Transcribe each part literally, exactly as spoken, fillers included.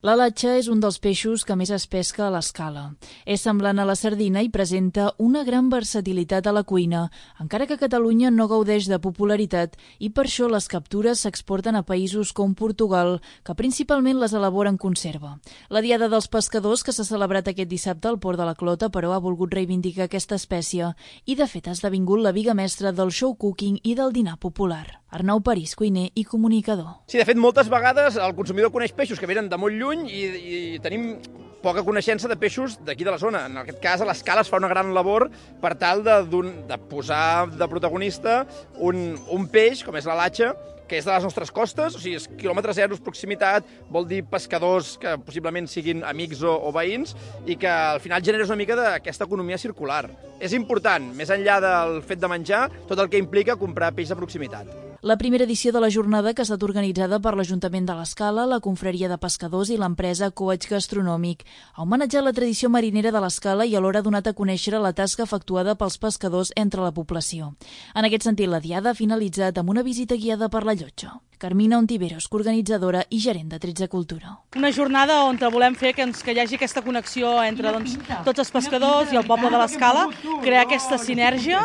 La latxa és un dels peixos que més es pesca a l'escala. És semblant a la sardina i presenta una gran versatilitat a la cuina, encara que Catalunya no gaudeix de popularitat i per això les captures s'exporten a països com Portugal, que principalment les elabora en conserva. La Diada dels Pescadors, que s'ha celebrat aquest dissabte al Port de la Clota, però ha volgut reivindicar aquesta espècie i, de fet, ha esdevingut la biga mestra del show cooking i del dinar popular. Arnau París, cuiner i comunicador. Sí, de fet, moltes vegades el consumidor coneix peixos que venen de molt lluny i, i tenim poca coneixença de peixos d'aquí de la zona. En aquest cas, a l'escala es fa una gran labor per tal de, de posar de protagonista un, un peix, com és la latxa, que és de les nostres costes, o sigui, és quilòmetre zero, proximitat, vol dir pescadors que possiblement siguin amics o, o veïns i que al final generes una mica d'aquesta economia circular. És important, més enllà del fet de menjar, tot el que implica comprar peix de proximitat. La primera edició de la jornada, que ha estat organitzada per l'Ajuntament de l'Escala, la Confraria de Pescadors i l'empresa Coach Gastronòmic, ha homenatjat la tradició marinera de l'Escala i alhora ha donat a conèixer la tasca efectuada pels pescadors entre la població. En aquest sentit, la Diada ha finalitzat amb una visita guiada per la llotja. Carmina Ontiveros, coorganitzadora i gerent de tretze Cultura. Una jornada on volem fer que, ens, que hi hagi aquesta connexió entre doncs, tots els pescadors i el poble de l'Escala, crear aquesta sinergia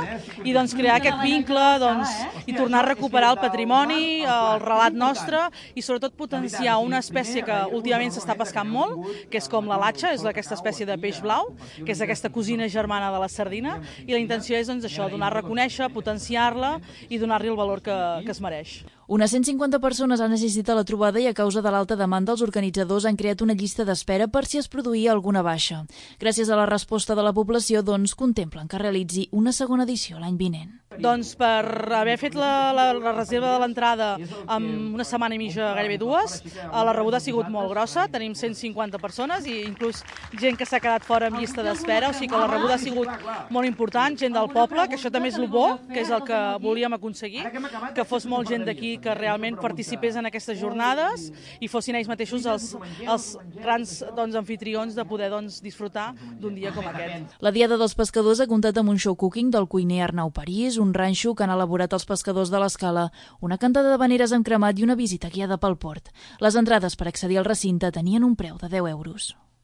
i doncs, crear aquest vincle doncs, i tornar a recuperar el patrimoni, el relat nostre i sobretot potenciar una espècie que últimament s'està pescant molt, que és com la latxa, és aquesta espècie de peix blau, que és aquesta cosina germana de la sardina, i la intenció és doncs, això, donar a reconèixer, potenciar-la i donar-li el valor que, que es mereix. Unes cent cinquanta persones han assistit a la trobada i a causa de l'alta demanda els organitzadors han creat una llista d'espera per si es produïa alguna baixa. Gràcies a la resposta de la població, doncs, contemplen que realitzi una segona edició l'any vinent. Doncs per haver fet la, la, la reserva de l'entrada amb una setmana i mitja, gairebé dues, la rebuda ha sigut molt grossa, tenim cent cinquanta persones i inclús gent que s'ha quedat fora en llista d'espera, o sigui que la rebuda ha sigut molt important, gent del poble, que això també és el bo, que és el que volíem aconseguir, que fos molt gent d'aquí que realment participés en aquestes jornades i fossin ells mateixos els, els grans doncs, anfitrions de poder doncs, disfrutar d'un dia com aquest. La Diada dels Pescadors ha comptat amb un show cooking del cuiner Arnau París, un ranxo que han elaborat els pescadors de l'Escala, una cantada de veneres amb cremat i una visita guiada pel port. Les entrades per accedir al recinte tenien un preu de deu euros.